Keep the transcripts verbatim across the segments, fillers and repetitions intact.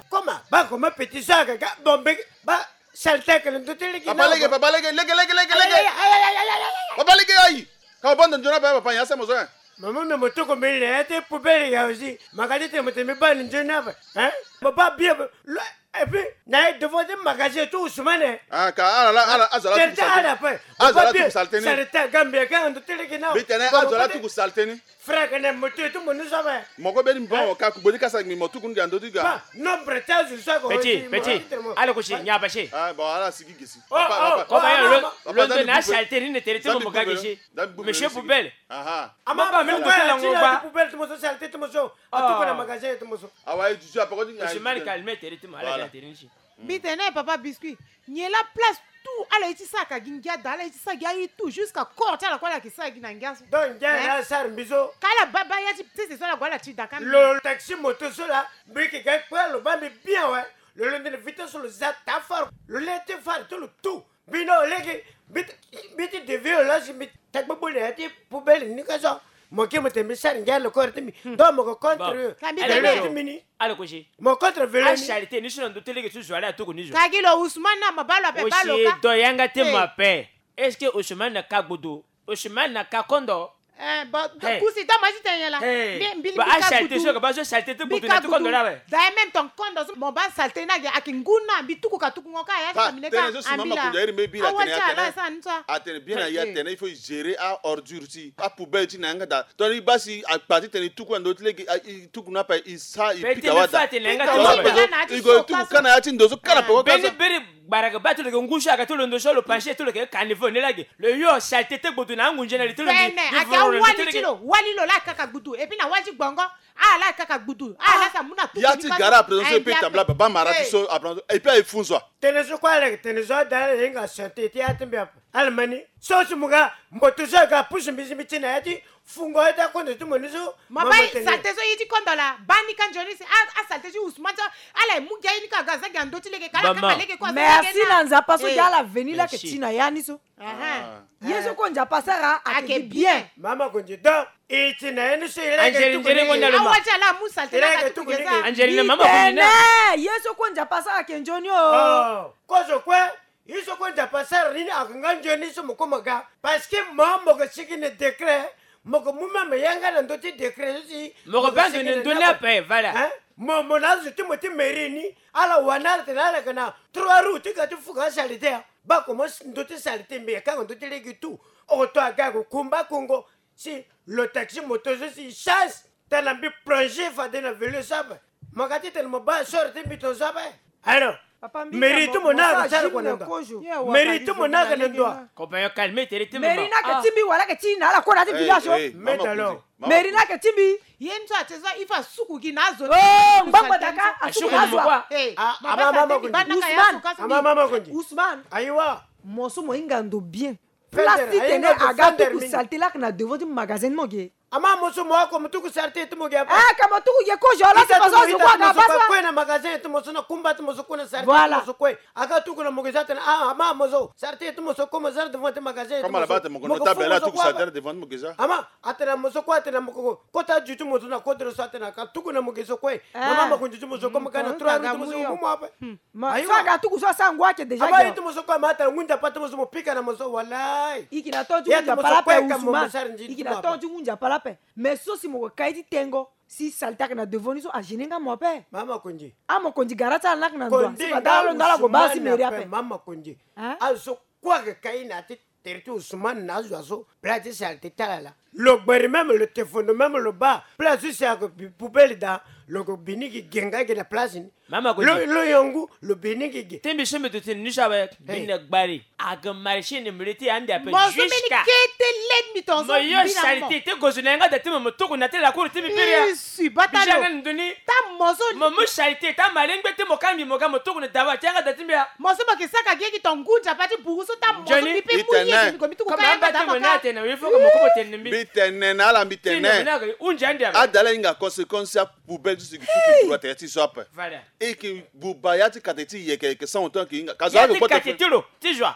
Comment? Ba comment petit so aga ga bombe ba salteke le ndote lege. Papa lege, papa lege, lege, lege, lege, lege. Papa lege, ayi. Ka banda njona ba papa ya sa mozo. Mama me motoko mele ya te poubelle ya aussi. Makati te moto me ba njona ba. Hein? Papa bien. Et puis na ye devant des magasins tout Ousmane. Ah, ka ala la ala azala tout salté. Azala tout salté ni. Salté Gambia ka ndo tele ke na. Bitene azala tout salté ni. Frère, kene moto tu monu sabe. Moko beni bon ka kubodi kasa mi moto kundi ando diga. Nombre tazu sa ko. Petit, petit. Ala ko si nya bache. Ah bon, ala sigi gesi. Papa, papa. Comment ya lo lo na salté ni ne tele tu mo ka gesi. Monsieur Poubelle. Aha. Ama ba me ko la ngo ba. Poubelle tu mo so salté tu mo so. Atuko na magasin tu mo so. Awa e juju apa ko ni. Monsieur Mali calme tele tu mo ala tele ni. Mbi tene papa Biscuit, nyen la place tout ala ye ti sara ka gi ngia daa, ala ye ti sara gi aye tout jusqu'à corps ti ala kue ala yeke sara gi na ngia so. Donc ngia la asara mbi so. Ka ala baa baa ya ti sese so ala gue ala ti daa ka mbi. Lo taxi moto so la mbi yeke ga kue alo baa mbi bien awe. Lo londo na vitesse so lo za taa far lo le ti far ti lo tout. Mbi na olege mbi ti devie lo la si mbi tagbe bole ya ti poubelle ni ka so. Mo ke mo tene mbi sara ngia lo kore ti mbi. Donc mo ko contre. Ka mbi tene ti mbi ni. Ala ko si. Mo contre velo ni. Asharité ni so na ndo ti lege ti zo ala atuku ni zo. Ka gi lo Ousmane na ma baa lo ape baa lo ka. Osi do yanga ti ma ape. Est-ce que Ousmane na ka gbodo? Osimani na ka kondo. Eh, bon, kusi ta ma ti tene nyen la. Mbi mbi mbi ka gudu. Mbi ka gudu. D'ailleurs même ton kondo so mo baa salté ni ake ngu na mbi tuku ka tuku ngo ka ya ti kamine ka. Ambila. Awa ti ala sa ni so. Atene bien na ya tene il faut gérer a ordure ti a poubelle ti na yanga daa. Donc i baa si akpa ti tene i tuku na ndo ti lege i tuku na ape i sa i pika wada. I go i tuku ka na ya ti ndo so ka na peko ka so. Gbara ge baa ti lo yeke ngu so aga ti lo ndo so lo panche ti lo yeke caniveau ni lage. Lo yo salté ti gbudu na angunze na li ti lo. Bene ake awali ti lo wali lo la kaka gbudu et puis na wali ti gbongo. Ala kaka gbudu ala sa mu na tuku ya ti gara après so e pe tambula baba mara ti so après so et puis aye fun so a. Tene so kue ala yeke tene so ada ala hinga santé ti ya ti mbi ape. Ala ma ni so si mo ga mboto so aga pusu mbi si mbi ti na ya ti Fungo ye ti akondo ti mo ni so. Ma bai salté so ye ti kondo la baa ni ka nzoni si asalté ti Ousmane so. Ala ye mu gi aye ni ka ga za gi na ndö ti lege ka ala kanga lege kue. Merci na Nzapa so gi ala veni la yeke ti na ya ni so. Ye so kue Nzapa asara ake gi bien. Mama Konzi donc e ti na ya ni so e la yeke tuku ni. Awa ti ala amu salté la ka tuku gi za. Angelina mama Konzi na ye so kue Nzapa asara ake nzoni o. Kozo kue. Ye so kue Nzapa asara ni ni ake nga nzoni so mo kue mo ga. Parce que mo mo ke sigi na décret. Mo ke mu même yanga na ndö ti décret so si mo ke baa nzoni na ndö ni ape. Voilà. Mo mo na azo ti mo ti mairie ni ala wani ala tene ala yeke na trois roues ti ga ti fuka asalite. Baa komo ndö ti salite mbi yeke kanga ndö ti lege tout. Oto aga yeke kumba kongo. Si lo taxi moto so si chance. Tana mbi plongé fade na velo so ape. Mo ga ti tene mo baa sore ti mbi tongaso ape. Alors mairie ti mo na aga sara kua na ndo. Mairie ti mo na aga na ndo. Ko ba yo calme tere ti mo. Mairie na yeke ti mbi wala yeke ti na ala kue na ya ti village so. Mais alors mairie na yeke ti mbi. Ye ni so ate so il faut asuku gi na azo. Ngbangba daka asuku na azo. Ama mama Konzi. Ama mama Konzi. Ousmane. Ayiwa. Mo so mo hinga ndo bien. Place ti tene aga tuku salté lake na devant ti magasin ti mo ge. Ama mo so mo oko mo tuku salté ti mo ge ape. Eh ka mo tuku ge kozo la si mo so azo kue aga baa so. Kue na magasin ti mo so na kumba ti mo so kue na salté ti mo so kue. Aga tuku na mo ge so atene ah ama mo so salté ti mo so kue mo za na devant ti magasin ti mo so. Mo ke fo mo so kue. Ama atene na mo so kue atene na mo ko kota ju ti mo so na kodro so atene aka tuku na mo ge so kue. Mama mo konzi ti mo so kue mo ga na trois roues ti mo so mo mu mo ape. Ma so aga tuku so asa ngu ake déjà. Aba ye ti mo so kue ma atara ngu Nzapa ti mo so mo pika na mo so walai. I yeke na tonga ti ngu Nzapa lape Ousmane. I yeke na tonga ti ngu Nzapa lape. Mais so si mo ko kai ti tengo si salté ake na devant ni so agêner nga mo ape. Mama Konzi. Amokonzi gara ti ala ni ake na ndo si fade ala lo ndo ala ko baa si mairie ape. Mama Konzi. Azo so kue ayeke kai na ya ti Tere ti Ousmane na azo azo place ti salté ti ala laa. Lo gberi même lo tefondo même lo baa place ti si ayeke poubelle daa. Lo yeke bi ni gi ge nga ge na place ni. Mama Konzi. Lo yongu lo bi ni gi ge. Ti mbi so mbi duti ni so awe. Mbi na gbari ayeke marché ni mbi le ti ande ape. Mo so mbeni kete led mbi tongaso. Mo yo salté ti gozo na yanga da ti mo mo tuku na ti lakour ti mbi biri ya. Bata lo. Mo mu salté ti amalengbe ti mo ka mbi mo ga mo tuku na dawa ti yanga da ti mbi ya. Mo so mo yeke saka gi ye gi tonga ngu Nzapa ti buru so ta mo so mbi pe mu ye gi mbi ko mbi tuku ka yanga da mo ka. Mbi tene na ala mbi tene. Adala hinga conséquence ti apoubelle ti so gi tuku buru atene ti so ape. E yeke buba ya ti kate ti yeke yeke sango ton ayeke hinga ka zo ayeke kpote ti lo ti joie.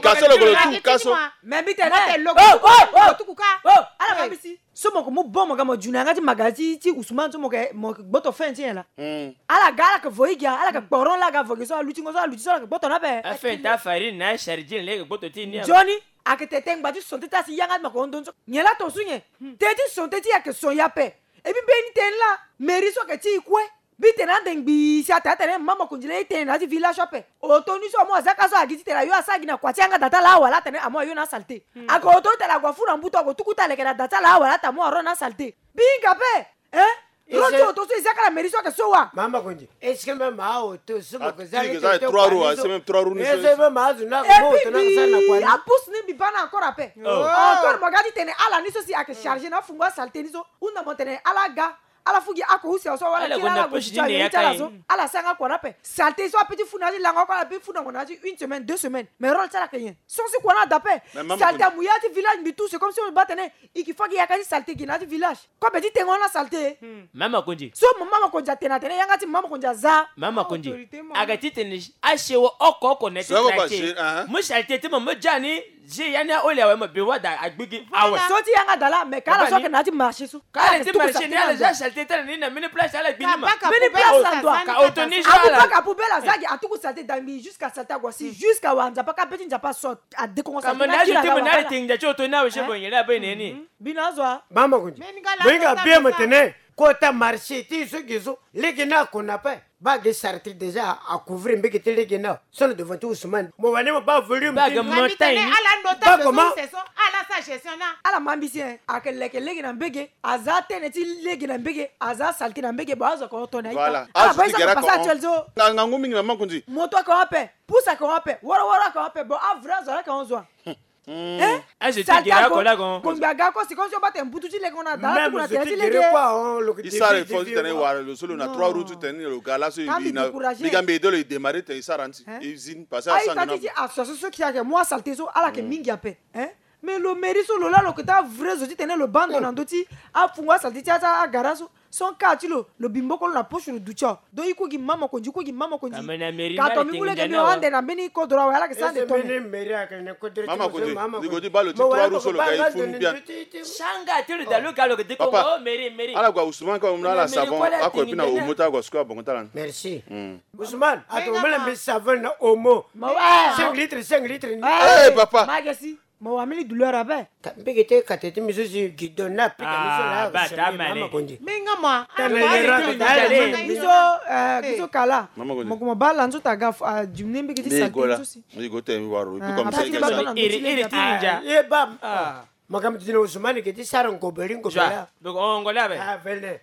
Ka so lo ko lo tuku ka so. Mais mbi tene. Oh, oh, tuku ka. Oh, ala ka bisi. So mo ko mu bon mo ga mo djuna yanga ti maga ti, ti Ousmane so mo ke, mo ke gboto fin ti nyen la. Hmm. Ala ga, ala ke voyi gi, ala ke kporon la ga vogi so, aluti ngo so, aluti so, ala ke gboto na ape. Afe nta farine na chargine le ke gboto ti ni. Nzoni, ake tete ngba ti son teti asi yanga ti ma ko hon don so. Nyen la ton su nyen? Teti son teti ake son ya ape. Et puis mbeni tene la, mairie so ake ti e kue. Mbi tene ande ngbii si atene atene mama Konzi laa e tene na ya ti village so ape. Oto ni so amu aza ka so agi titene ayo asara gi na kua ti yanga da ti ala awa laa atene amu ayo na asalite. Ake oto titene ague afu na mbutu ague tuku ti aleke na da ti ala awa laa atene amu aro na asalite. Mbi hinga ape. Hein? Ro ti oto so e za ka na mairie so ake so wa. Mama Konzi. Est-ce que même aoto so mo ke za trois roues, c'est même trois roues ni so. Est-ce que même azo na mo oto na ka sara na kua ni? Apus ni mbi baa na encore ape. Encore mo ga titene ala ni so si ake chargé na afungo asalite ni so. Hunda mo tene ala ga. Ala fu gi ako use aso wala ti ala gue ti ala so. Ala sara nga kua na ape. Salté so ape ti fu na ya ti lango oko, ala pe fu na ngo na ya ti une semaine, deux semaines. Mais rôle ti ala ake nyen? Son si kua na da ape. Salté amu ya ti village mbi tout, c'est comme si on bat tene. I ki fa gi yaka ti salté gi na ya ti village. Kobe ti tengo na salté. Mama Konzi. So mama Konzi atene atene yanga ti mama Konzi aza. Mama Konzi. Aga ti tene asewo oko oko na ya ti quartier. Mu salté ti mo mu ja ni. Zi yani a oli awe mo be wada agbigi awe. So ti yanga dala mais kala so ke na ti marché so. Kala ti marché ni ala za salté tala ni na mini place ala gbini ma. Mini place la ndwa. Ka oto ni so ala. Abu baka poubelle azagi atuku salté dangbi jusqu'à salté agwa si jusqu'à wa nzapa ka beti nzapa so. Adekongo salté na kira na wa. Ka mo na ti mo na ala tinga ti oto ni awe se bo nyele abe neni. Bino azo a. Mama Konzi. Moinga bie mo tene. Kota marché ti so gi so lege na kona pe. Ba gi sarti déjà a couvrir mbege ti lege na. Sono devant ti Ousmane. Mo wani mo ba volume. Ba gi montagne. Ala ndo ta gestion so. Ala sa gestion na. Ala mambisi en. Ake leke lege na mbege. Aza tene ti lege na mbege. Aza salté na mbege. Bon azo ko tona ita. Voilà. Ala ba isa ko pasa actuel so. Nga ngu mingi na Mama Konzi. Moto ko ape. Pusa ko ape. Wara wara ko ape. Bon a vrai azo ala ko zo. Hein? Kongbi aga ko si konso bate mbutu ti lege ona da tuku na tene ti lege. Isara effort ti tene wara lo so lo na trois roues ti tene lo ga laso. Bigambe edo lo e démarrer tene isara nti usine parce que asara nti ti association so ki ake mu asalté so ala ke mingi ape. Hein? Mais lo mairie so lo la lo ke ta vrai zo ti tene lo bando na ndo ti afungo asalté ti ata agara so. Son ka ti lo lo bi mboko lo na poche lo duti o. Donc i ku gi Mama Konzi, i ku gi Mama Konzi. Ka to mi mu lege mbi hon ande na mbeni kodro awe ala ke sara ande tone. Mama Konzi, ni go ti baa lo ti trois roues so lo ka e fu ni bien. Sanga ti lo da lo ka lo ke dekongo mairie mairie. Ala gua Ousmane ka mo na ala savon ako e pi na omo ti ala gua suku abongo ti ala ni. Merci. Ousmane ato mo na mbi savon na omo. Cinq litres, cinq litres ni. Eh papa. Magesi. Mo wa mini douleur abe. Mbege te kate ti mi so si gi don na pika mi so la. Ba ta mane. Mama Konzi. Minga ma. Tana yera ko dale. Mi so eh gi so kala. Mama Konzi. Mo ko mo ba la nzo ta ga jumne mbege ti sa so si. Mi go te mi waro. Iri iri ti ninja. Ye ba. Makambo ti tene Ousmane ke ti sara ngoberi ngoberi. Donc on ngole abe. Ah vene.